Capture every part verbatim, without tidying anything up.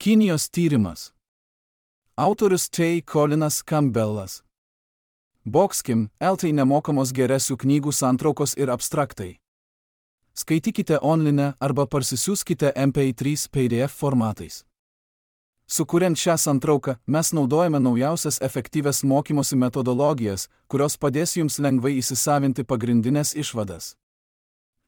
Kinijos tyrimas. Autorius T. Colinas Campbellas. Boxkim, L T nemokamos geresių knygų santraukos ir abstraktai. Skaitykite online arba parsisiųskite M P trys P D F formatais. Sukuriant šią santrauką, mes naudojame naujausias efektyvias mokymosi metodologijas, kurios padės jums lengvai įsisavinti pagrindinės išvadas.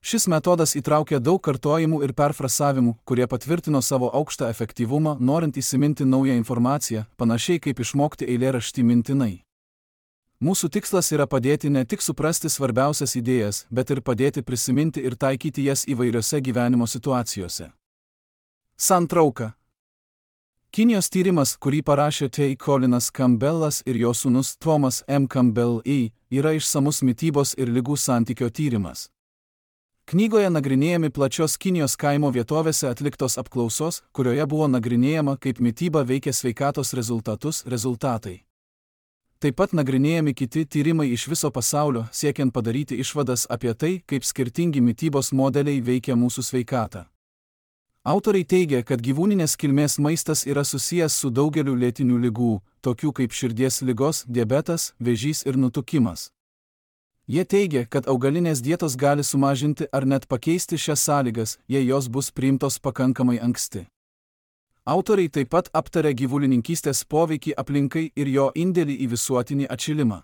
Šis metodas įtraukia daug kartojimų ir perfrasavimų, kurie patvirtino savo aukštą efektyvumą, norint įsiminti naują informaciją, panašiai kaip išmokti eilėraštį mintinai. Mūsų tikslas yra padėti ne tik suprasti svarbiausias idėjas, bet ir padėti prisiminti ir taikyti jas įvairiose gyvenimo situacijose. Santrauka. Kinijos tyrimas, kurį parašė T. Colinas Campbellas ir jo sūnus Thomas M. Campbell, yra išsamus mitybos ir ligų santykio tyrimas. Knygoje nagrinėjami plačios Kinijos kaimo vietovėse atliktos apklausos, kurioje buvo nagrinėjama, kaip mityba veikia sveikatos rezultatus, rezultatai. Taip pat nagrinėjami kiti tyrimai iš viso pasaulio, siekiant padaryti išvadas apie tai, kaip skirtingi mitybos modeliai veikia mūsų sveikatą. Autoriai teigia, kad gyvūninės kilmės maistas yra susijęs su daugeliu lėtinių ligų, tokių kaip širdies ligos, diabetas, vėžys ir nutukimas. Jie teigia, kad augalinės dietos gali sumažinti ar net pakeisti šias sąlygas, jei jos bus priimtos pakankamai anksti. Autoriai taip pat aptarė gyvulininkystės poveikį aplinkai ir jo indėlį į visuotinį atšilimą.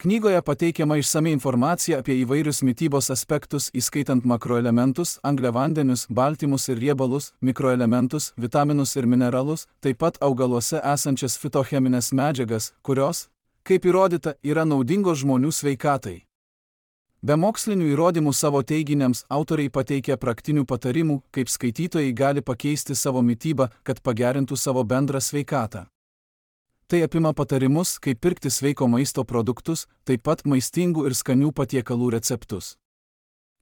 Knygoje pateikiama išsami informacija apie įvairius mitybos aspektus, įskaitant makroelementus, angliavandenius, baltymus ir riebalus, mikroelementus, vitaminus ir mineralus, taip pat augaluose esančias fitocheminės medžiagas, kurios, kaip įrodyta, yra naudingos žmonių sveikatai. Be mokslinių įrodymų savo teiginiams autoriai pateikia praktinių patarimų, kaip skaitytojai gali pakeisti savo mitybą, kad pagerintų savo bendrą sveikatą. Tai apima patarimus, kaip pirkti sveiko maisto produktus, taip pat maistingų ir skanių patiekalų receptus.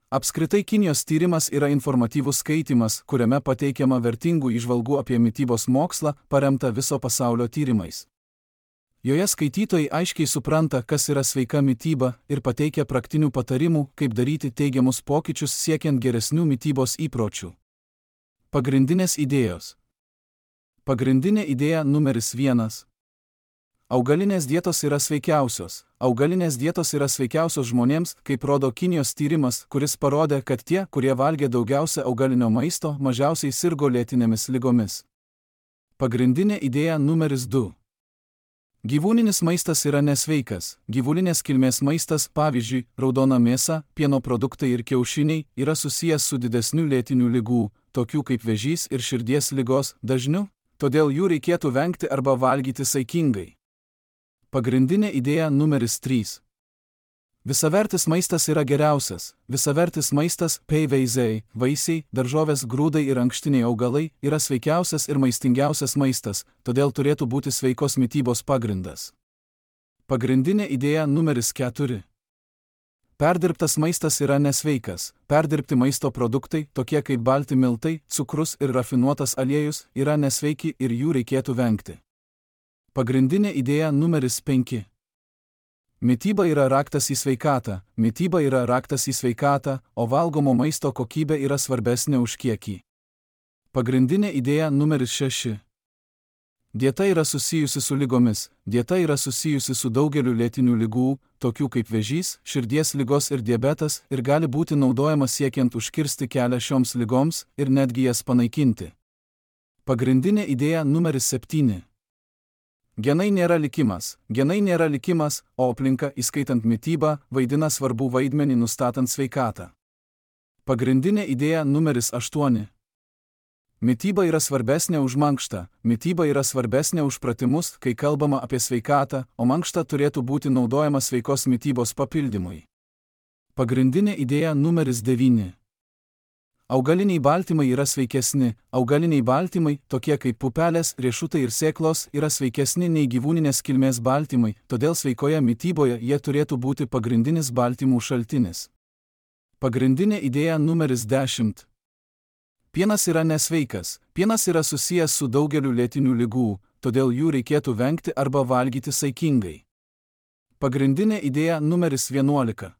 Apskritai Kinijos tyrimas yra informatyvus skaitymas, kuriame pateikiama vertingų įžvalgų apie mitybos mokslą, paremta viso pasaulio tyrimais. Joje skaitytojai aiškiai supranta, kas yra sveika mityba ir pateikia praktinių patarimų, kaip daryti teigiamus pokyčius siekiant geresnių mitybos įpročių. Pagrindinės idėjos. Pagrindinė idėja numeris vienas. Augalinės dietos yra sveikiausios. Augalinės dietos yra sveikiausios žmonėms, kaip rodo Kinijos tyrimas, kuris parodė, kad tie, kurie valgė daugiausia augalinio maisto, mažiausiai sirgo lėtinėmis ligomis. Pagrindinė idėja numeris du. Gyvūninis maistas yra nesveikas. Gyvulinės kilmės maistas, pavyzdžiui, raudona mėsa, pieno produktai ir kiaušiniai, yra susijęs su didesniu lėtinių ligų, tokių kaip vėžys ir širdies ligos, dažniu, todėl jų reikėtų vengti arba valgyti saikingai. Pagrindinė idėja numeris trys. Visavertis maistas yra geriausias. Visavertis maistas, peiveizei, vaisiai, daržovės, grūdai ir ankštiniai augalai, yra sveikiausias ir maistingiausias maistas, todėl turėtų būti sveikos mitybos pagrindas. Pagrindinė idėja numeris keturi. Perdirbtas maistas yra nesveikas. Perdirbti maisto produktai, tokie kaip balti miltai, cukrus ir rafinuotas aliejus, yra nesveiki ir jų reikėtų vengti. Pagrindinė idėja numeris penki. Mityba yra raktas į sveikatą, mityba yra raktas į sveikatą, o valgomo maisto kokybė yra svarbesnė už kiekį. Pagrindinė idėja numeris šeši. Dieta yra susijusi su ligomis, dieta yra susijusi su daugeliu lėtinių ligų, tokių kaip vėžys, širdies ligos ir diabetas, ir gali būti naudojama siekiant užkirsti kelią šioms ligoms ir netgi jas panaikinti. Pagrindinė idėja numeris septyni. Genai nėra likimas. Genai nėra likimas, o aplinka, įskaitant mitybą, vaidina svarbų vaidmenį nustatant sveikatą. Pagrindinė idėja numeris aštuoni. Mityba yra svarbesnė už mankštą. Mityba yra svarbesnė už pratimus, kai kalbama apie sveikatą, o mankšta turėtų būti naudojama sveikos mitybos papildymui. Pagrindinė idėja numeris devyni. Augaliniai baltymai yra sveikesni. Augaliniai baltymai, tokie kaip pupelės, riešutai ir sėklos, yra sveikesni nei gyvūninės kilmės baltymai, todėl sveikoje mityboje jie turėtų būti pagrindinis baltymų šaltinis. Pagrindinė idėja numeris dešimt. Pienas yra nesveikas. Pienas yra susijęs su daugeliu lėtinių ligų, todėl jų reikėtų vengti arba valgyti saikingai. Pagrindinė idėja numeris vienuolika.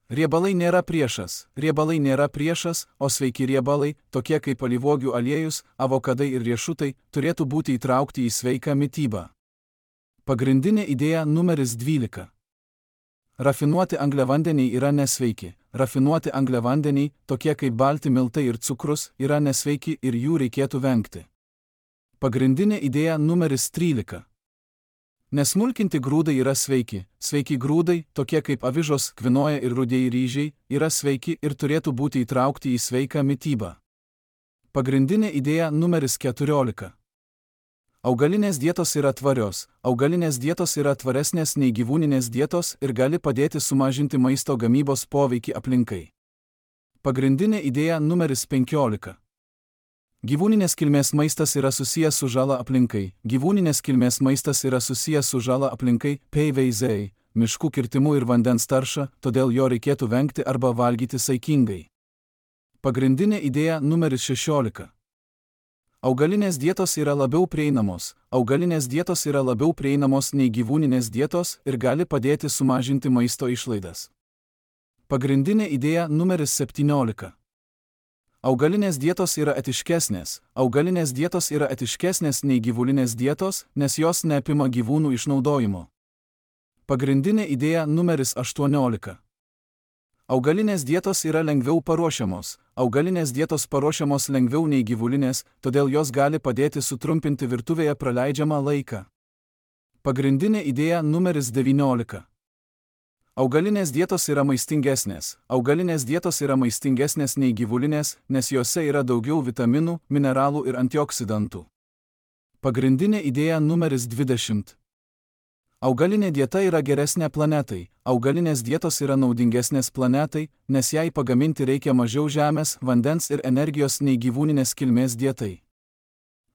Riebalai nėra priešas, riebalai nėra priešas, o sveiki riebalai, tokie kaip alyvuogių aliejus, avokadai ir riešutai, turėtų būti įtraukti į sveiką mitybą. Pagrindinė idėja numeris dvylika. Rafinuoti angliavandeniai yra nesveiki. Rafinuoti angliavandeniai, tokie kaip balti miltai ir cukrus, yra nesveiki ir jų reikėtų vengti. Pagrindinė idėja numeris trylika. Nesmulkinti grūdai yra sveiki. Sveiki grūdai, tokie kaip avižos, kvinoja ir rudieji ryžiai, yra sveiki ir turėtų būti įtraukti į sveiką mitybą. Pagrindinė idėja numeris keturiolika. Augalinės dietos yra tvarios. Augalinės dietos yra tvaresnės nei gyvūninės dietos ir gali padėti sumažinti maisto gamybos poveikį aplinkai. Pagrindinė idėja numeris penkiolika. Gyvūninės kilmės maistas yra susijęs su žala aplinkai. Gyvūninės kilmės maistas yra susijęs su žala aplinkai, P V Z, miškų kirtimu ir vandens tarša, todėl jo reikėtų vengti arba valgyti saikingai. Pagrindinė idėja numeris šešiolika. Augalinės dietos yra labiau prieinamos. Augalinės dietos yra labiau prieinamos nei gyvūninės dietos ir gali padėti sumažinti maisto išlaidas. Pagrindinė idėja numeris septyniolika. Augalinės dietos yra etiškesnės. Augalinės dietos yra etiškesnės nei gyvulinės dietos, nes jos neapima gyvūnų išnaudojimo. Pagrindinė idėja numeris aštuoniolika. Augalinės dietos yra lengviau paruošiamos. Augalinės dietos paruošiamos lengviau nei gyvulinės, todėl jos gali padėti sutrumpinti virtuvėje praleidžiamą laiką. Pagrindinė idėja numeris devyniolika. Augalinės dietos yra maistingesnės. Augalinės dietos yra maistingesnės nei gyvulinės, nes jose yra daugiau vitaminų, mineralų ir antioksidantų. Pagrindinė idėja numeris dvidešimt. Augalinė dieta yra geresnė planetai. Augalinės dietos yra naudingesnės planetai, nes jai pagaminti reikia mažiau žemės, vandens ir energijos nei gyvūninės kilmės dietai.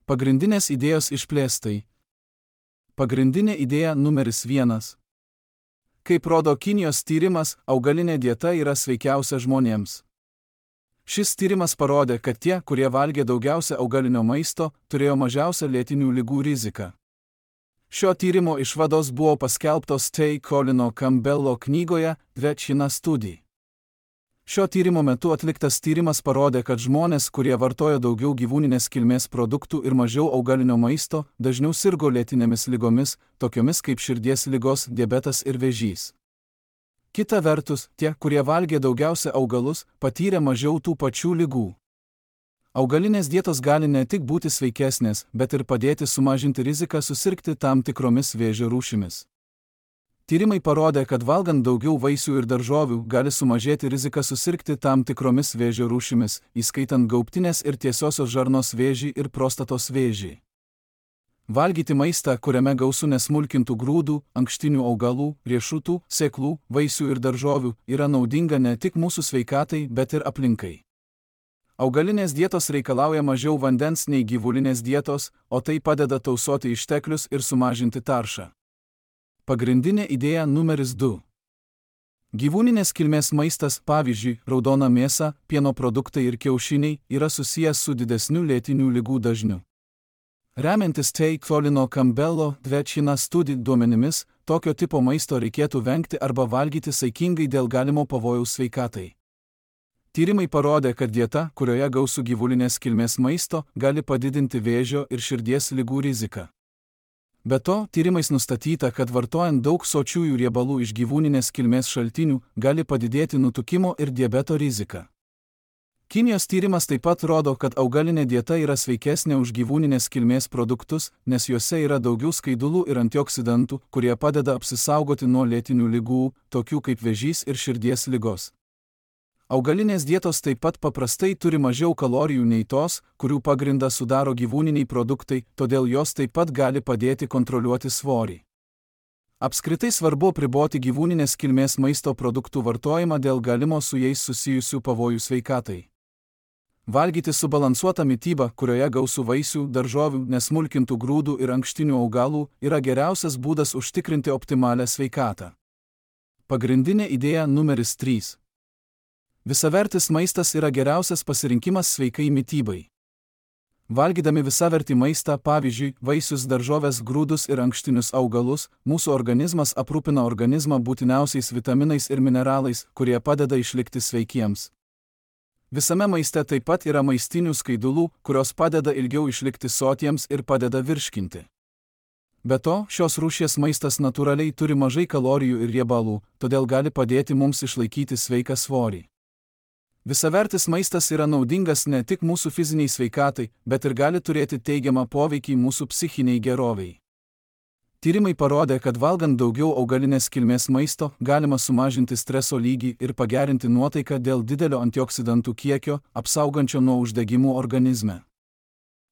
Pagrindinės idėjos išplėstai. Pagrindinė idėja numeris vienas. Kaip rodo Kinijos tyrimas, augalinė dieta yra sveikiausia žmonėms. Šis tyrimas parodė, kad tie, kurie valgė daugiausia augalinio maisto, turėjo mažiausią lėtinių ligų riziką. Šio tyrimo išvados buvo paskelbtos T. Colino Campbello knygoje The China Study. Šio tyrimo metu atliktas tyrimas parodė, kad žmonės, kurie vartoja daugiau gyvūninės kilmės produktų ir mažiau augalinio maisto, dažniau sirgo lėtinėmis ligomis, tokiomis kaip širdies ligos, diabetas ir vėžys. Kita vertus, tie, kurie valgė daugiausia augalus, patyrė mažiau tų pačių ligų. Augalinės dietos gali ne tik būti sveikesnės, bet ir padėti sumažinti riziką susirgti tam tikromis vėžio rūšimis. Tyrimai parodė, kad valgant daugiau vaisių ir daržovių gali sumažėti rizika susirgti tam tikromis vėžio rūšimis, įskaitant gaubtinės ir tiesiosios žarnos vėžį ir prostatos vėžį. Valgyti maistą, kuriame gausu nesmulkintų grūdų, ankštinių augalų, riešutų, sėklų, vaisių ir daržovių, yra naudinga ne tik mūsų sveikatai, bet ir aplinkai. Augalinės dietos reikalauja mažiau vandens nei gyvulinės dietos, o tai padeda tausoti išteklius ir sumažinti taršą. Pagrindinė idėja numeris du. Gyvūninės kilmės maistas, pavyzdžiui, raudona mėsa, pieno produktai ir kiaušiniai, yra susijęs su didesniu lėtinių ligų dažniu. Remiantis T. Colino Campbello The China Study duomenimis, tokio tipo maisto reikėtų vengti arba valgyti saikingai dėl galimo pavojaus sveikatai. Tyrimai parodė, kad dieta, kurioje gausu gyvulinės kilmės maisto, gali padidinti vėžio ir širdies ligų riziką. Be to, tyrimais nustatyta, kad vartojant daug sočiųjų riebalų iš gyvūninės kilmės šaltinių, gali padidėti nutukimo ir diabeto rizika. Kinijos tyrimas taip pat rodo, kad augalinė dieta yra sveikesnė už gyvūninės kilmės produktus, nes juose yra daugiau skaidulų ir antioksidantų, kurie padeda apsisaugoti nuo lėtinių ligų, tokių kaip vėžys ir širdies ligos. Augalinės dietos taip pat paprastai turi mažiau kalorijų nei tos, kurių pagrindą sudaro gyvūniniai produktai, todėl jos taip pat gali padėti kontroliuoti svorį. Apskritai svarbu apriboti gyvūninės kilmės maisto produktų vartojimą dėl galimo su jais susijusių pavojų sveikatai. Valgyti subalansuotą mitybą, kurioje gausu vaisių, daržovių, nesmulkintų grūdų ir ankštinių augalų, yra geriausias būdas užtikrinti optimalią sveikatą. Pagrindinė idėja numeris trys. Visavertis maistas yra geriausias pasirinkimas sveikai mitybai. Valgydami visavertį maistą, pavyzdžiui, vaisius, daržoves, grūdus ir ankštinius augalus, mūsų organizmas aprūpina organizmą būtiniausiais vitaminais ir mineralais, kurie padeda išlikti sveikiems. Visame maiste taip pat yra maistinių skaidulų, kurios padeda ilgiau išlikti sotiems ir padeda virškinti. Be to, šios rūšies maistas natūraliai turi mažai kalorijų ir riebalų, todėl gali padėti mums išlaikyti sveiką svorį. Visavertis maistas yra naudingas ne tik mūsų fiziniai sveikatai, bet ir gali turėti teigiamą poveikį mūsų psichiniai gerovei. Tyrimai parodė, kad valgant daugiau augalinės kilmės maisto galima sumažinti streso lygį ir pagerinti nuotaiką dėl didelio antioksidantų kiekio, apsaugančio nuo uždegimų organizme.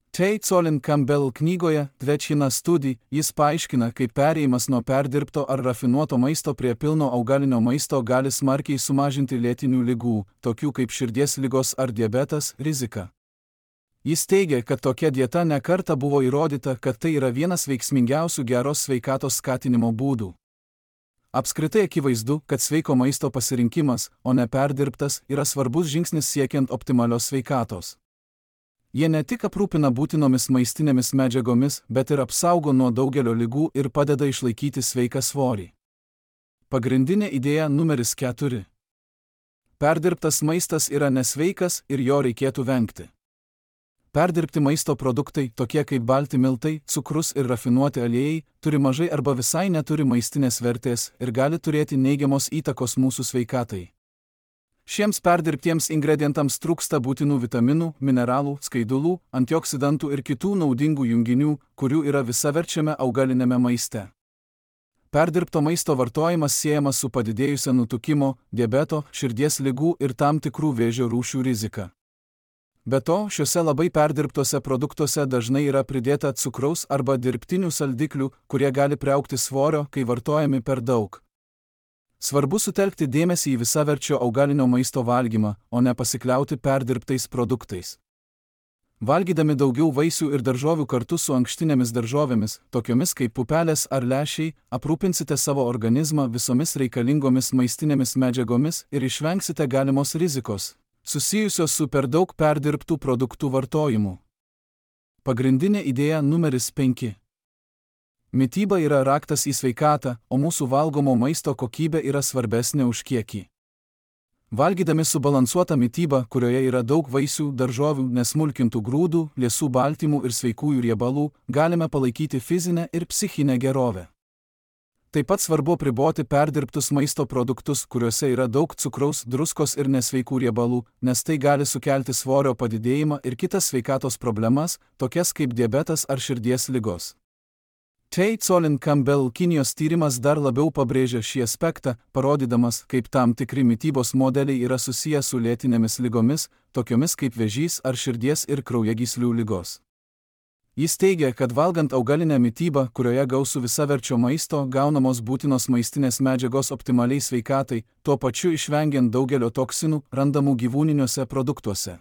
Tate Colin Campbell knygoje Dvečina Study jis paaiškina, kaip perėjimas nuo perdirbto ar rafinuoto maisto prie pilno augalinio maisto gali smarkiai sumažinti lėtinių ligų, tokių kaip širdies ligos ar diabetas, riziką. Jis teigia, kad tokia dieta ne kartą buvo įrodyta, kad tai yra vienas veiksmingiausių geros sveikatos skatinimo būdų. Apskritai akivaizdu, kad sveiko maisto pasirinkimas, o ne perdirbtas, yra svarbus žingsnis siekiant optimalios sveikatos. Jie ne tik aprūpina būtinomis maistinėmis medžiagomis, bet ir apsaugo nuo daugelio ligų ir padeda išlaikyti sveiką svorį. Pagrindinė idėja numeris keturi. Perdirbtas maistas yra nesveikas ir jo reikėtų vengti. Perdirbti maisto produktai, tokie kaip balti miltai, cukrus ir rafinuoti aliejai, turi mažai arba visai neturi maistinės vertės ir gali turėti neigiamos įtakos mūsų sveikatai. Šiems perdirbtiems ingredientams trūksta būtinų vitaminų, mineralų, skaidulų, antioksidantų ir kitų naudingų junginių, kurių yra visaverčiame augalinėme maiste. Perdirbto maisto vartojimas siejamas su padidėjusia nutukimo, diabeto, širdies ligų ir tam tikrų vėžio rūšių rizika. Be to, šiuose labai perdirbtuose produktuose dažnai yra pridėta cukraus arba dirbtinių saldiklių, kurie gali priaugti svorio, kai vartojami per daug. Svarbu sutelkti dėmesį į visaverčio augalinio maisto valgymą, o ne pasikliauti perdirbtais produktais. Valgydami daugiau vaisių ir daržovių kartu su ankštinėmis daržovėmis, tokiomis kaip pupelės ar lęšiai, aprūpinsite savo organizmą visomis reikalingomis maistinėmis medžiagomis ir išvengsite galimos rizikos, susijusios su per daug perdirbtų produktų vartojimu. Pagrindinė idėja numeris penki. Mityba yra raktas į sveikatą, o mūsų valgomo maisto kokybė yra svarbesnė už kiekį. Valgydami subalansuotą mitybą, kurioje yra daug vaisių, daržovių, nesmulkintų grūdų, liesų baltymų ir sveikųjų riebalų, galime palaikyti fizinę ir psichinę gerovę. Taip pat svarbu apriboti perdirbtus maisto produktus, kuriuose yra daug cukraus, druskos ir nesveikų riebalų, nes tai gali sukelti svorio padidėjimą ir kitas sveikatos problemas, tokias kaip diabetas ar širdies ligos. Tate Colin Campbell Kinijos tyrimas dar labiau pabrėžia šį aspektą, parodydamas, kaip tam tikri mitybos modeliai yra susiję su lėtinėmis ligomis, tokiomis kaip vėžys ar širdies ir kraujagyslių ligos. Jis teigia, kad valgant augalinę mitybą, kurioje gausu visaverčio maisto, gaunamos būtinos maistinės medžiagos optimaliai sveikatai, tuo pačiu išvengiant daugelio toksinų, randamų gyvūniniuose produktuose.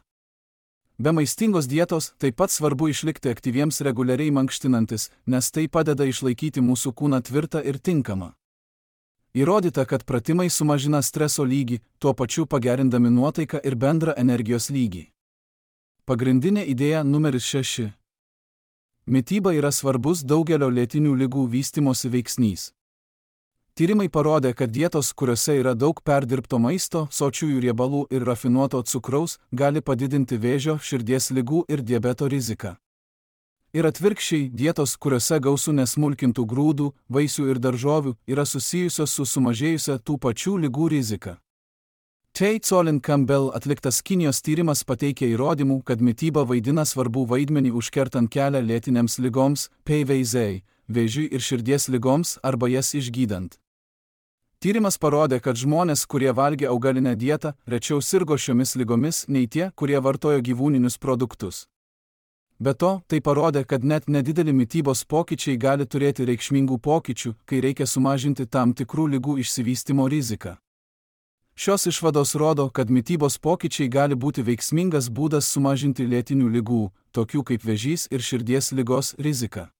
Be maistingos dietos taip pat svarbu išlikti aktyviems reguliariai mankštinantis, nes tai padeda išlaikyti mūsų kūną tvirtą ir tinkamą. Įrodyta, kad pratimai sumažina streso lygį, tuo pačiu pagerindami nuotaiką ir bendrą energijos lygį. Pagrindinė idėja numeris šeši. Mityba yra svarbus daugelio lėtinių ligų vystymosi veiksnys. Tyrimai parodė, kad dietos, kuriuose yra daug perdirbto maisto, sočiųjų riebalų ir rafinuoto cukraus, gali padidinti vėžio, širdies ligų ir diabeto riziką. Ir atvirkščiai, dietos, kuriuose gausu nesmulkintų grūdų, vaisių ir daržovių, yra susijusios su sumažėjusia tų pačių ligų rizika. Tate Colin Campbell atliktas Kinijos tyrimas pateikia įrodymų, kad mityba vaidina svarbų vaidmenį užkertant kelią lėtinėms ligoms, P V Z, vėžiui ir širdies ligoms arba jas išgydant. Tyrimas parodė, kad žmonės, kurie valgė augalinę dietą, rečiau sirgo šiomis ligomis nei tie, kurie vartojo gyvūninius produktus. Be to, tai parodė, kad net nedideli mitybos pokyčiai gali turėti reikšmingų pokyčių, kai reikia sumažinti tam tikrų ligų išsivystymo riziką. Šios išvados rodo, kad mitybos pokyčiai gali būti veiksmingas būdas sumažinti lėtinių ligų, tokių kaip vėžys ir širdies ligos riziką.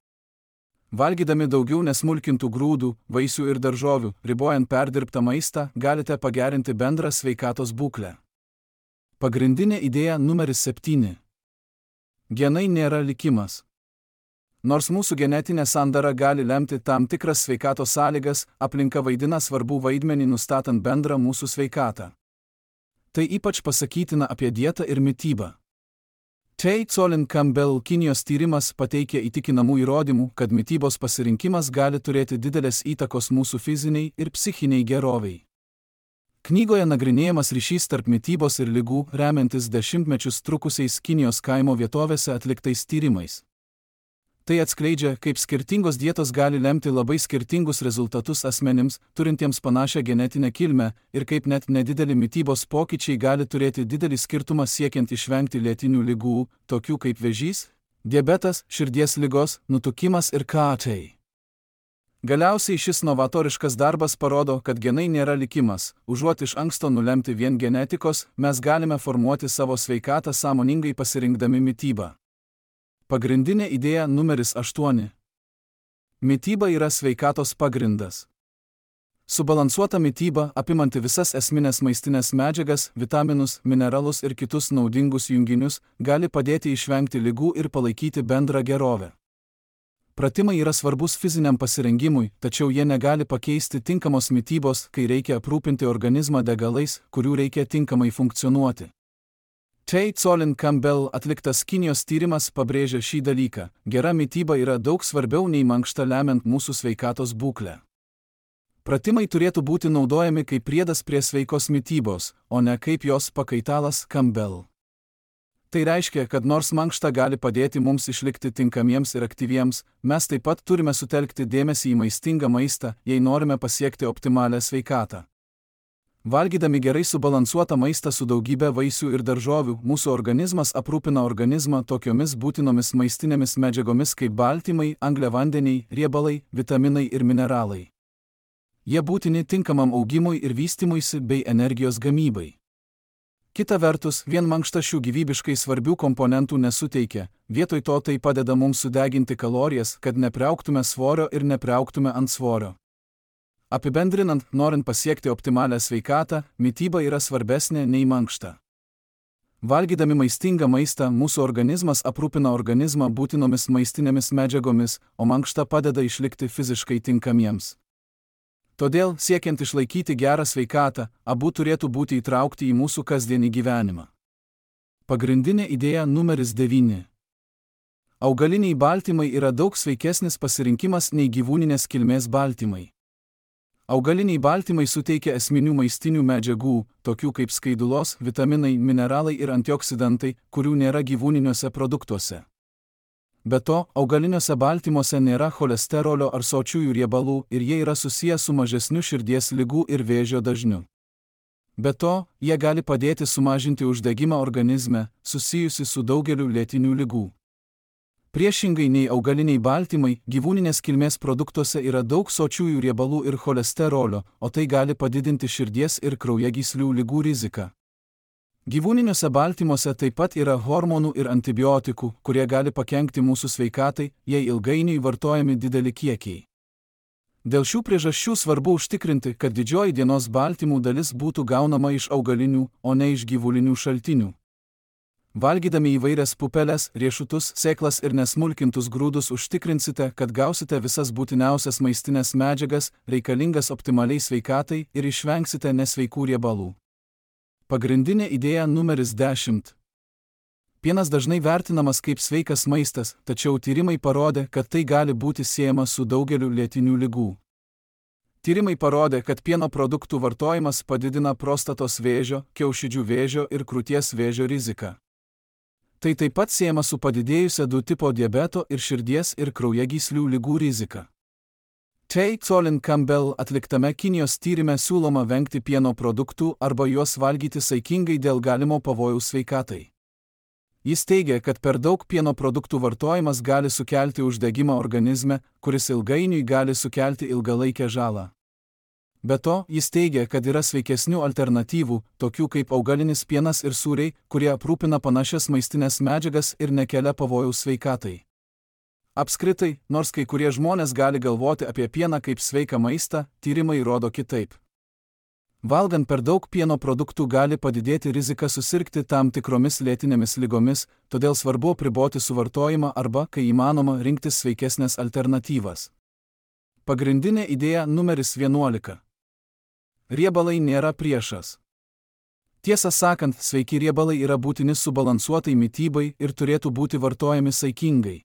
Valgydami daugiau nesmulkintų grūdų, vaisių ir daržovių, ribojant perdirbtą maistą, galite pagerinti bendrą sveikatos būklę. Pagrindinė idėja numeris septyni. Genai nėra likimas. Nors mūsų genetinė sandara gali lemti tam tikras sveikatos sąlygas, aplinka vaidina svarbų vaidmenį nustatant bendrą mūsų sveikatą. Tai ypač pasakytina apie dietą ir mitybą. Tay Colin Campbell Kinijos tyrimas pateikia įtikinamų įrodymų, kad mitybos pasirinkimas gali turėti didelės įtakos mūsų fiziniai ir psichiniai geroviai. Knygoje nagrinėjamas ryšys tarp mitybos ir ligų, remiantis dešimtmečius trukusiais Kinijos kaimo vietovėse atliktais tyrimais. Tai atskleidžia, kaip skirtingos dietos gali lemti labai skirtingus rezultatus asmenims, turintiems panašią genetinę kilmę, ir kaip net nedideli mitybos pokyčiai gali turėti didelį skirtumą siekiant išvengti lėtinių ligų, tokių kaip vėžys, diabetas, širdies ligos, nutukimas ir kitai. Galiausiai šis novatoriškas darbas parodo, kad genai nėra likimas, užuot iš anksto nulemti vien genetikos, mes galime formuoti savo sveikatą sąmoningai pasirinkdami mitybą. Pagrindinė idėja numeris aštuoni. Mityba yra sveikatos pagrindas. Subalansuota mityba, apimanti visas esminės maistinės medžiagas, vitaminus, mineralus ir kitus naudingus junginius, gali padėti išvengti ligų ir palaikyti bendrą gerovę. Pratimai yra svarbus fiziniam pasirengimui, tačiau jie negali pakeisti tinkamos mitybos, kai reikia aprūpinti organizmą degalais, kurių reikia tinkamai funkcionuoti. Tay Colin Campbell atliktas Kinijos tyrimas pabrėžia šį dalyką. Gera mityba yra daug svarbiau nei mankšta lemiant mūsų sveikatos būklę. Pratimai turėtų būti naudojami kaip priedas prie sveikos mitybos, o ne kaip jos pakaitalas Campbell. Tai reiškia, kad nors mankšta gali padėti mums išlikti tinkamiems ir aktyviems, mes taip pat turime sutelkti dėmesį į maistingą maistą, jei norime pasiekti optimalią sveikatą. Valgydami gerai subalansuotą maistą su daugybė vaisių ir daržovių, mūsų organizmas aprūpina organizmą tokiomis būtinomis maistinėmis medžiagomis kaip baltymai, angliavandeniai, riebalai, vitaminai ir mineralai. Jie būtini tinkamam augimui ir vystymuisi bei energijos gamybai. Kita vertus, vien mankšta šių gyvybiškai svarbių komponentų nesuteikia, vietoj to tai padeda mums sudeginti kalorijas, kad nepriaugtume svorio ir nepriaugtume ant svorio. Apibendrinant, norint pasiekti optimalią sveikatą, mityba yra svarbesnė nei mankšta. Valgydami maistingą maistą, mūsų organizmas aprūpina organizmą būtinomis maistinėmis medžiagomis, o mankšta padeda išlikti fiziškai tinkamiems. Todėl, siekiant išlaikyti gerą sveikatą, abu turėtų būti įtraukti į mūsų kasdienį gyvenimą. Pagrindinė idėja numeris devyni. Augaliniai baltymai yra daug sveikesnis pasirinkimas nei gyvūninės kilmės baltymai. Augaliniai baltymai suteikia esminių maistinių medžiagų, tokių kaip skaidulos, vitaminai, mineralai ir antioksidantai, kurių nėra gyvūniniuose produktuose. Be to, augaliniuose baltymuose nėra cholesterolio ar sočiųjų riebalų ir jie yra susiję su mažesniu širdies ligų ir vėžio dažniu. Be to, jie gali padėti sumažinti uždegimą organizme, susijusi su daugeliu lėtinių ligų. Priešingai nei augaliniai baltymai, gyvūninės kilmės produktuose yra daug sočiųjų riebalų ir cholesterolio, o tai gali padidinti širdies ir kraujagyslių ligų riziką. Gyvūniniuose baltymuose taip pat yra hormonų ir antibiotikų, kurie gali pakenkti mūsų sveikatai, jei ilgainiui vartojami dideli kiekiai. Dėl šių priežasčių svarbu užtikrinti, kad didžioji dienos baltymų dalis būtų gaunama iš augalinių, o ne iš gyvulinių šaltinių. Valgydami įvairias pupeles, riešutus, sėklas ir nesmulkintus grūdus užtikrinsite, kad gausite visas būtiniausias maistinės medžiagas, reikalingas optimaliai sveikatai ir išvengsite nesveikų riebalų. Pagrindinė idėja numeris dešimt. Pienas dažnai vertinamas kaip sveikas maistas, tačiau tyrimai parodė, kad tai gali būti siejama su daugeliu lėtinių ligų. Tyrimai parodė, kad pieno produktų vartojimas padidina prostatos vėžio, kiaušidžių vėžio ir krūties vėžio riziką. Tai taip pat siejama su padidėjusia du tipo diabeto ir širdies ir kraujagyslių ligų rizika. Tay Colin Campbell atliktame Kinijos tyrime siūloma vengti pieno produktų arba juos valgyti saikingai dėl galimo pavojaus sveikatai. Jis teigia, kad per daug pieno produktų vartojimas gali sukelti uždegimą organizme, kuris ilgainiui gali sukelti ilgalaikę žalą. Be to, jis teigia, kad yra sveikesnių alternatyvų, tokių kaip augalinis pienas ir sūriai, kurie aprūpina panašias maistinės medžiagas ir nekelia pavojaus sveikatai. Apskritai, nors kai kurie žmonės gali galvoti apie pieną kaip sveiką maistą, tyrimai rodo kitaip. Valgant per daug pieno produktų gali padidėti rizika susirgti tam tikromis lėtinėmis ligomis, todėl svarbu apriboti suvartojimą arba, kai įmanoma, rinktis sveikesnės alternatyvas. Pagrindinė idėja numeris vienuolika. Riebalai nėra priešas. Tiesą sakant, sveiki riebalai yra būtini subalansuotai mitybai ir turėtų būti vartojami saikingai.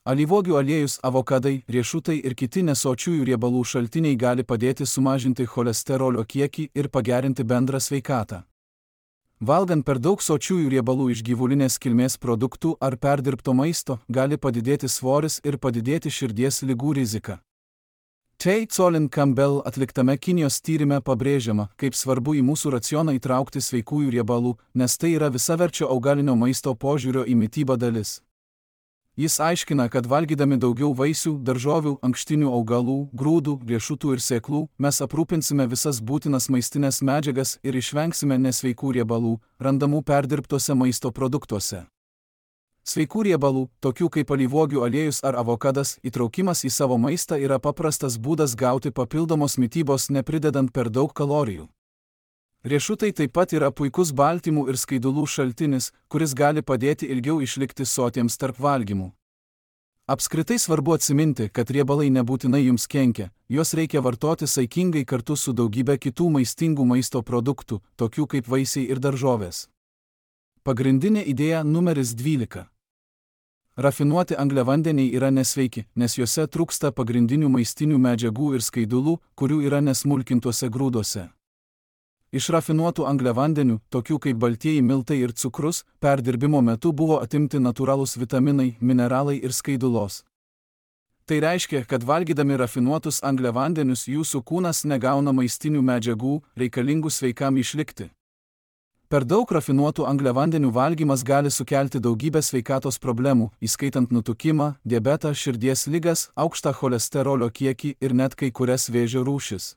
Alyvuogių aliejus, avokadai, riešutai ir kiti nesočiųjų riebalų šaltiniai gali padėti sumažinti cholesterolio kiekį ir pagerinti bendrą sveikatą. Valgant per daug sočiųjų riebalų iš gyvulinės kilmės produktų ar perdirbto maisto, gali padidėti svoris ir padidėti širdies ligų rizika. Tay Colin Campbell atliktame Kinijos tyrime pabrėžiama, kaip svarbu į mūsų racioną įtraukti sveikųjų riebalų, nes tai yra visaverčio augalinio maisto požiūrio į mitybą dalis. Jis aiškina, kad valgydami daugiau vaisių, daržovių, ankštinių augalų, grūdų, riešutų ir sėklų, mes aprūpinsime visas būtinas maistinės medžiagas ir išvengsime nesveikų riebalų, randamų perdirbtose maisto produktuose. Sveikų riebalų, tokių kaip alyvuogių aliejus ar avokadas, įtraukimas į savo maistą yra paprastas būdas gauti papildomos mitybos nepridedant per daug kalorijų. Riešutai taip pat yra puikus baltymų ir skaidulų šaltinis, kuris gali padėti ilgiau išlikti sotiems tarp valgymų. Apskritai svarbu atsiminti, kad riebalai nebūtinai jums kenkia, juos reikia vartoti saikingai kartu su daugybė kitų maistingų maisto produktų, tokių kaip vaisiai ir daržovės. Pagrindinė idėja numeris dvylika. Rafinuoti angliavandeniai yra nesveiki, nes juose trūksta pagrindinių maistinių medžiagų ir skaidulų, kurių yra nesmulkintuose grūduose. Iš rafinuotų angliavandenių, tokių kaip baltieji miltai ir cukrus, perdirbimo metu buvo atimti natūralūs vitaminai, mineralai ir skaidulos. Tai reiškia, kad valgydami rafinuotus angliavandenius jūsų kūnas negauna maistinių medžiagų, reikalingų sveikam išlikti. Per daug rafinuotų angliavandenių valgymas gali sukelti daugybę sveikatos problemų, įskaitant nutukimą, diabetą, širdies ligas, aukštą cholesterolio kiekį ir net kai kurias vėžio rūšis.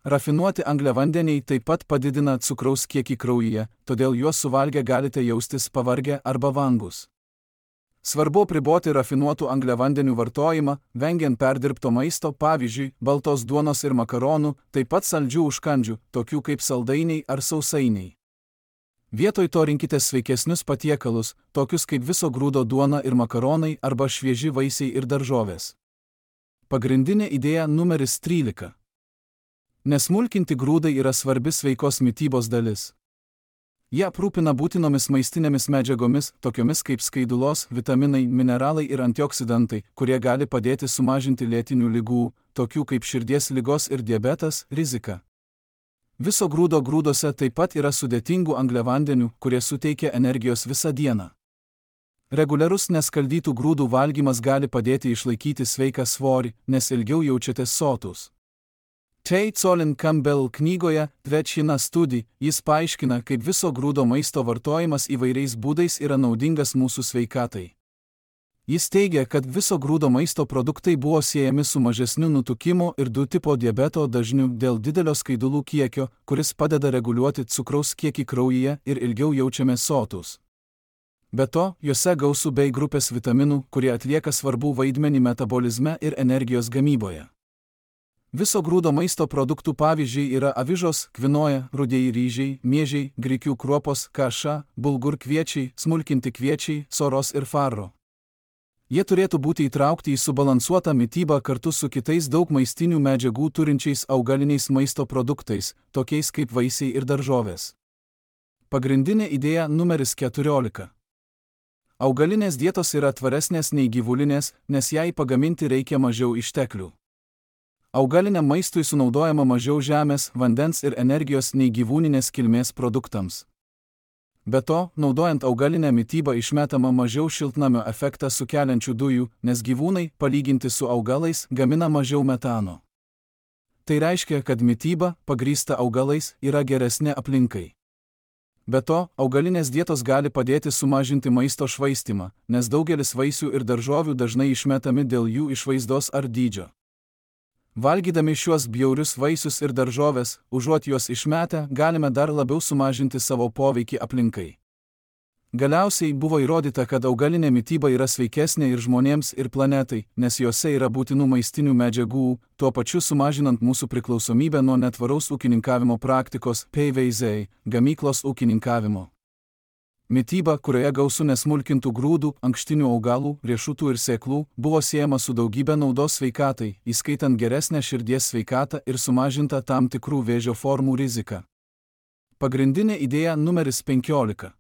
Rafinuoti angliavandeniai taip pat padidina cukraus kiekį kraujyje, todėl juos suvalgę galite jaustis pavargę arba vangus. Svarbu apriboti rafinuotų angliavandenių vartojimą, vengiant perdirbto maisto, pavyzdžiui, baltos duonos ir makaronų, taip pat saldžių užkandžių, tokių kaip saldainiai ar sausainiai. Vietoj to rinkitės sveikesnius patiekalus, tokius kaip viso grūdo duona ir makaronai arba švieži vaisiai ir daržovės. Pagrindinė idėja numeris trylika. Nesmulkinti grūdai yra svarbi sveikos mitybos dalis. Jie aprūpina būtinomis maistinėmis medžiagomis, tokiomis kaip skaidulos, vitaminai, mineralai ir antioksidantai, kurie gali padėti sumažinti lėtinių ligų, tokių kaip širdies ligos ir diabetas, riziką. Viso grūdo grūdose taip pat yra sudėtingų angliavandenių, kurie suteikia energijos visą dieną. Reguliarus neskaldytų grūdų valgymas gali padėti išlaikyti sveiką svorį, nes ilgiau jaučiatės sotus. Tay Colin Campbell knygoje Trečina studija jis paaiškina, kaip viso grūdo maisto vartojimas įvairiais būdais yra naudingas mūsų sveikatai. Jis teigia, kad viso grūdo maisto produktai buvo siejami su mažesniu nutukimo ir du tipo diabeto dažniu dėl didelio skaidulų kiekio, kuris padeda reguliuoti cukraus kiekį kraujyje ir ilgiau jaučiamės sotus. Be to, juose gausu bei grupės vitaminų, kurie atlieka svarbų vaidmenį metabolizme ir energijos gamyboje. Viso grūdo maisto produktų pavyzdžiai yra avižos, kvinoja, rudieji ryžiai, miežiai, grikių kruopos, kaša, bulgur kviečiai, smulkinti kviečiai, soros ir farro. Jie turėtų būti įtraukti į subalansuotą mitybą kartu su kitais daug maistinių medžiagų turinčiais augaliniais maisto produktais, tokiais kaip vaisiai ir daržovės. Pagrindinė idėja numeris keturiolika. Augalinės dietos yra tvaresnės nei gyvulinės, nes jai pagaminti reikia mažiau išteklių. Augaliniam maistui sunaudojama mažiau žemės, vandens ir energijos nei gyvūninės kilmės produktams. Be to, naudojant augalinę mitybą išmetama mažiau šiltnamio efektą sukeliančių dujų, nes gyvūnai, palyginti su augalais, gamina mažiau metano. Tai reiškia, kad mityba, pagrįsta augalais, yra geresnė aplinkai. Be to, augalinės dietos gali padėti sumažinti maisto švaistymą, nes daugelis vaisių ir daržovių dažnai išmetami dėl jų išvaizdos ar dydžio. Valgydami šiuos bjaurius vaisius ir daržovės, užuot juos išmetę, galime dar labiau sumažinti savo poveikį aplinkai. Galiausiai buvo įrodyta, kad augalinė mityba yra sveikesnė ir žmonėms, ir planetai, nes jose yra būtinų maistinių medžiagų, tuo pačiu sumažinant mūsų priklausomybę nuo netvaraus ūkininkavimo praktikos P V Z, gamyklos ūkininkavimo. Mityba, kurioje gausu nesmulkintų grūdų, ankštinių augalų, riešutų ir sėklų, buvo siejama su daugybė naudos sveikatai, įskaitant geresnę širdies sveikatą ir sumažintą tam tikrų vėžio formų riziką. Pagrindinė idėja numeris penkiolika.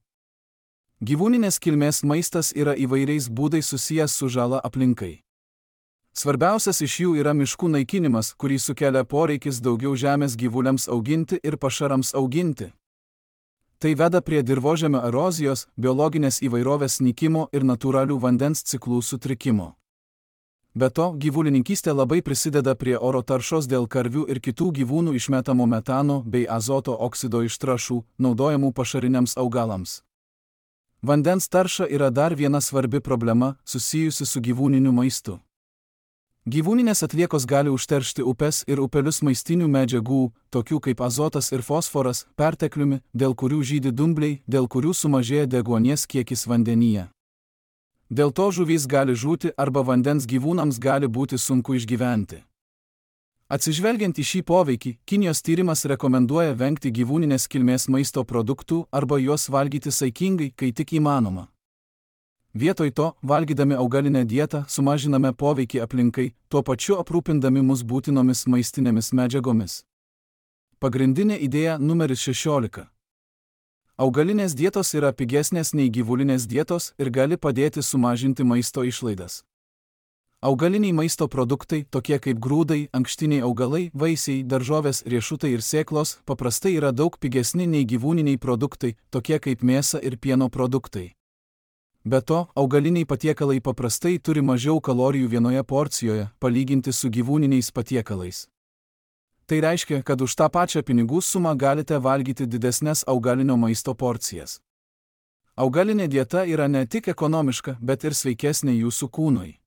Gyvūninės kilmės maistas yra įvairiais būdais susijęs su žala aplinkai. Svarbiausias iš jų yra miškų naikinimas, kurį sukelia poreikis daugiau žemės gyvuliams auginti ir pašarams auginti. Tai veda prie dirvožemio erozijos, biologinės įvairovės nykimo ir natūralių vandens ciklų sutrikimo. Be to, gyvulininkystė labai prisideda prie oro taršos dėl karvių ir kitų gyvūnų išmetamo metano bei azoto oksido iš trąšų, naudojamų pašariniams augalams. Vandens tarša yra dar viena svarbi problema, susijusi su gyvūniniu maistu. Gyvūninės atliekos gali užteršti upes ir upelius maistinių medžiagų, tokių kaip azotas ir fosforas, pertekliumi, dėl kurių žydi dumbliai, dėl kurių sumažėja deguonies kiekis vandenyje. Dėl to žuvys gali žūti arba vandens gyvūnams gali būti sunku išgyventi. Atsižvelgiant į šį poveikį, Kinijos tyrimas rekomenduoja vengti gyvūninės kilmės maisto produktų arba juos valgyti saikingai, kai tik įmanoma. Vietoj to, valgydami augalinę dietą, sumažiname poveikį aplinkai, tuo pačiu aprūpindami mus būtinomis maistinėmis medžiagomis. Pagrindinė idėja numeris šešiolika. Augalinės dietos yra pigesnės nei gyvulinės dietos ir gali padėti sumažinti maisto išlaidas. Augaliniai maisto produktai, tokie kaip grūdai, ankštiniai augalai, vaisiai, daržovės, riešutai ir sėklos, paprastai yra daug pigesni nei gyvūniniai produktai, tokie kaip mėsa ir pieno produktai. Be to, augaliniai patiekalai paprastai turi mažiau kalorijų vienoje porcijoje, palyginti su gyvūniniais patiekalais. Tai reiškia, kad už tą pačią pinigų sumą galite valgyti didesnes augalinio maisto porcijas. Augalinė dieta yra ne tik ekonomiška, bet ir sveikesnė jūsų kūnui.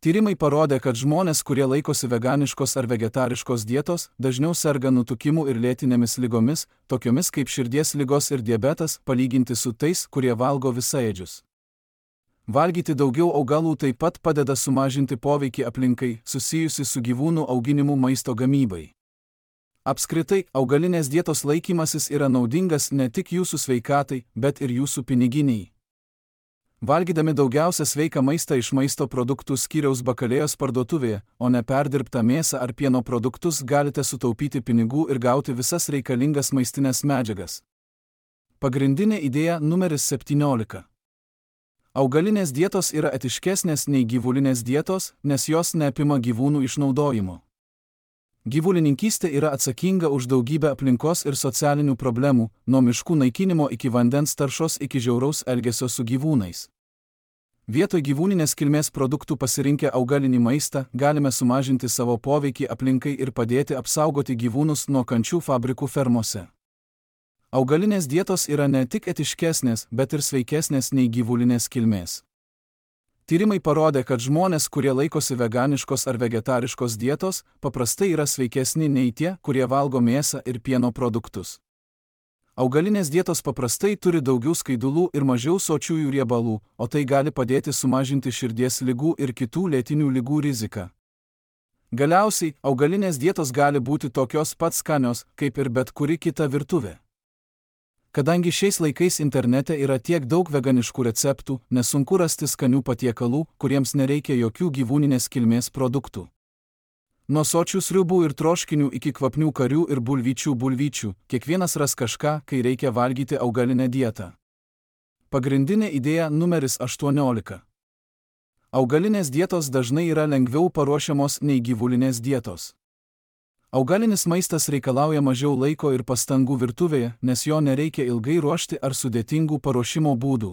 Tyrimai parodė, kad žmonės, kurie laikosi veganiškos ar vegetariškos dietos, dažniau serga nutukimu ir lėtinėmis ligomis, tokiomis kaip širdies ligos ir diabetas, palyginti su tais, kurie valgo visaėdžius. Valgyti daugiau augalų taip pat padeda sumažinti poveikį aplinkai, susijusi su gyvūnų auginimu maisto gamybai. Apskritai, augalinės dietos laikymasis yra naudingas ne tik jūsų sveikatai, bet ir jūsų piniginiai. Valgydami daugiausia sveiką maistą iš maisto produktų skyriaus bakalėjos parduotuvėje, o ne perdirbtą mėsą ar pieno produktus, galite sutaupyti pinigų ir gauti visas reikalingas maistinės medžiagas. Pagrindinė idėja numeris septyniolika. Augalinės dietos yra etiškesnės nei gyvulinės dietos, nes jos neapima gyvūnų išnaudojimo. Gyvulininkystė yra atsakinga už daugybę aplinkos ir socialinių problemų, nuo miškų naikinimo iki vandens taršos iki žiauraus elgesio su gyvūnais. Vietoj gyvūninės kilmės produktų pasirinkę augalinį maistą, galime sumažinti savo poveikį aplinkai ir padėti apsaugoti gyvūnus nuo kančių fabrikų fermose. Augalinės dietos yra ne tik etiškesnės, bet ir sveikesnės nei gyvulinės kilmės. Tyrimai parodė, kad žmonės, kurie laikosi veganiškos ar vegetariškos dietos, paprastai yra sveikesni nei tie, kurie valgo mėsą ir pieno produktus. Augalinės dietos paprastai turi daugiau skaidulų ir mažiau sočiųjų riebalų, o tai gali padėti sumažinti širdies ligų ir kitų lėtinių ligų riziką. Galiausiai, augalinės dietos gali būti tokios pat skanios, kaip ir bet kuri kita virtuvė. Kadangi šiais laikais internete yra tiek daug veganiškų receptų, nesunku rasti skanių patiekalų, kuriems nereikia jokių gyvūninės kilmės produktų. Nuo sočių sriubų ir troškinių iki kvapnių karių ir bulvyčių bulvyčių, kiekvienas ras kažką, kai reikia valgyti augalinę dietą. Pagrindinė idėja numeris aštuoniolika. Augalinės dietos dažnai yra lengviau paruošiamos nei gyvulinės dietos. Augalinis maistas reikalauja mažiau laiko ir pastangų virtuvėje, nes jo nereikia ilgai ruošti ar sudėtingų paruošimo būdų.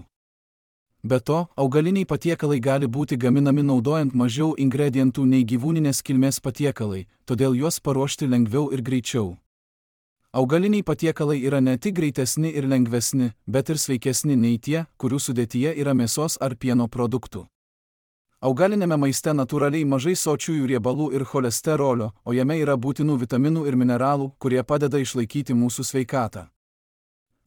Be to, augaliniai patiekalai gali būti gaminami naudojant mažiau ingredientų nei gyvūninės kilmės patiekalai, todėl juos paruošti lengviau ir greičiau. Augaliniai patiekalai yra ne tik greitesni ir lengvesni, bet ir sveikesni nei tie, kurių sudėtyje yra mėsos ar pieno produktų. Augalinėme maiste natūraliai mažai sočiųjų riebalų ir cholesterolio, o jame yra būtinų vitaminų ir mineralų, kurie padeda išlaikyti mūsų sveikatą.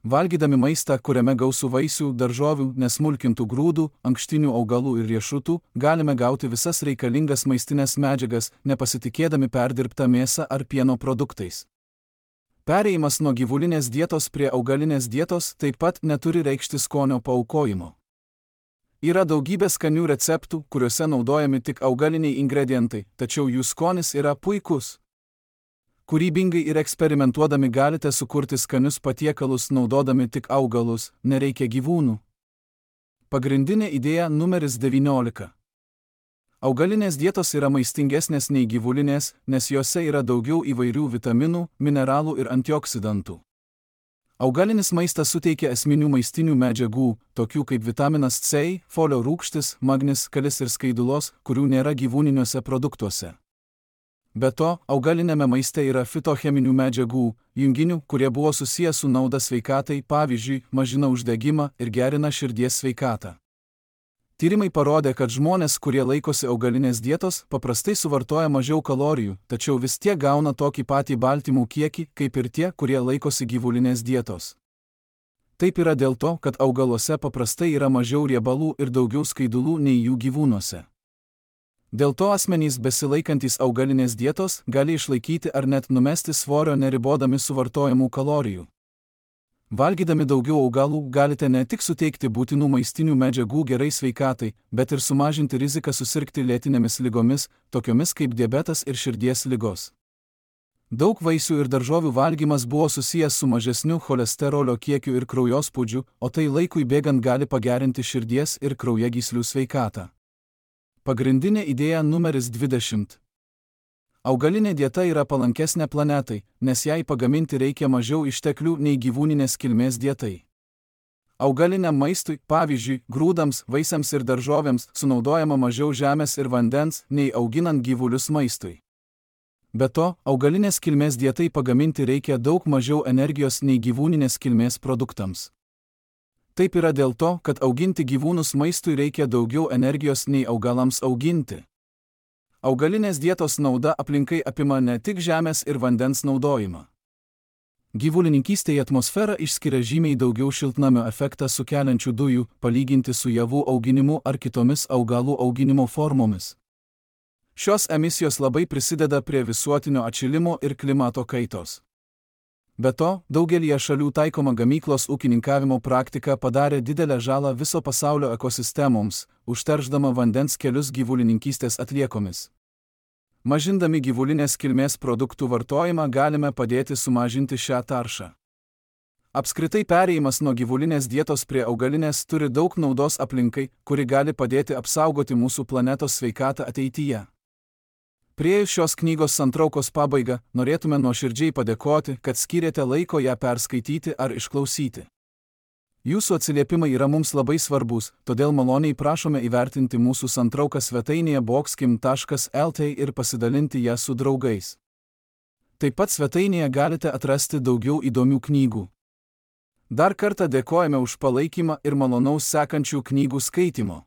Valgydami maistą, kuriame gausu vaisių, daržovių, nesmulkintų grūdų, ankštinių augalų ir riešutų, galime gauti visas reikalingas maistinės medžiagas, nepasitikėdami perdirbtą mėsą ar pieno produktais. Perėjimas nuo gyvulinės dietos prie augalinės dietos taip pat neturi reikšti skonio paaukojimo. Yra daugybė skanių receptų, kuriuose naudojami tik augaliniai ingredientai, tačiau jų skonis yra puikus. Kūrybingai ir eksperimentuodami galite sukurti skanius patiekalus naudodami tik augalus, nereikia gyvūnų. Pagrindinė idėja numeris devyniolika. Augalinės dietos yra maistingesnės nei gyvulinės, nes jose yra daugiau įvairių vitaminų, mineralų ir antioksidantų. Augalinis maistas suteikia esminių maistinių medžiagų, tokių kaip vitaminas C, folio rūgštis, magnis, kalis ir skaidulos, kurių nėra gyvūniniuose produktuose. Be to, augalinėme maiste yra fitocheminių medžiagų, junginių, kurie buvo susiję su nauda sveikatai, pavyzdžiui, mažina uždegimą ir gerina širdies sveikatą. Tyrimai parodė, kad žmonės, kurie laikosi augalinės dietos, paprastai suvartoja mažiau kalorijų, tačiau vis tiek gauna tokį patį baltymų kiekį, kaip ir tie, kurie laikosi gyvulinės dietos. Taip yra dėl to, kad augaluose paprastai yra mažiau riebalų ir daugiau skaidulų nei jų gyvūnuose. Dėl to asmenys besilaikantys augalinės dietos gali išlaikyti ar net numesti svorio neribodami suvartojamų kalorijų. Valgydami daugiau augalų galite ne tik suteikti būtinų maistinių medžiagų gerai sveikatai, bet ir sumažinti riziką susirgti lėtinėmis ligomis, tokiomis kaip diabetas ir širdies ligos. Daug vaisių ir daržovių valgymas buvo susijęs su mažesniu cholesterolio kiekiu ir kraujospūdžiu, o tai laikui bėgant gali pagerinti širdies ir kraujagyslių sveikatą. Pagrindinė idėja numeris dvidešimt. Augalinė dieta yra palankesnė planetai, nes jai pagaminti reikia mažiau išteklių nei gyvūninės kilmės dietai. Augaliniam maistui, pavyzdžiui, grūdams, vaisiams ir daržovėms, sunaudojama mažiau žemės ir vandens, nei auginant gyvulius maistui. Be to, augalinės kilmės dietai pagaminti reikia daug mažiau energijos nei gyvūninės kilmės produktams. Taip yra dėl to, kad auginti gyvūnus maistui reikia daugiau energijos nei augalams auginti. Augalinės dietos nauda aplinkai apima ne tik žemės ir vandens naudojimą. Gyvulininkystėje atmosfera išskiria žymiai daugiau šiltnamio efektą sukeliančių dujų, palyginti su javų auginimu ar kitomis augalų auginimo formomis. Šios emisijos labai prisideda prie visuotinio atšilimo ir klimato kaitos. Be to, daugelyje šalių taikoma gamyklos ūkininkavimo praktika padarė didelę žalą viso pasaulio ekosistemoms, užteršdama vandens kelius gyvulininkystės atliekomis. Mažindami gyvulinės kilmės produktų vartojimą galime padėti sumažinti šią taršą. Apskritai perėjimas nuo gyvulinės dietos prie augalinės turi daug naudos aplinkai, kuri gali padėti apsaugoti mūsų planetos sveikatą ateityje. Priėjus šios knygos santraukos pabaigą, norėtume nuoširdžiai padėkoti, kad skyrėte laiko ją perskaityti ar išklausyti. Jūsų atsiliepimai yra mums labai svarbus, todėl maloniai prašome įvertinti mūsų santrauką svetainėje boxkim taškas el t ir pasidalinti ją su draugais. Taip pat svetainėje galite atrasti daugiau įdomių knygų. Dar kartą dėkojame už palaikymą ir malonaus sekančių knygų skaitimo.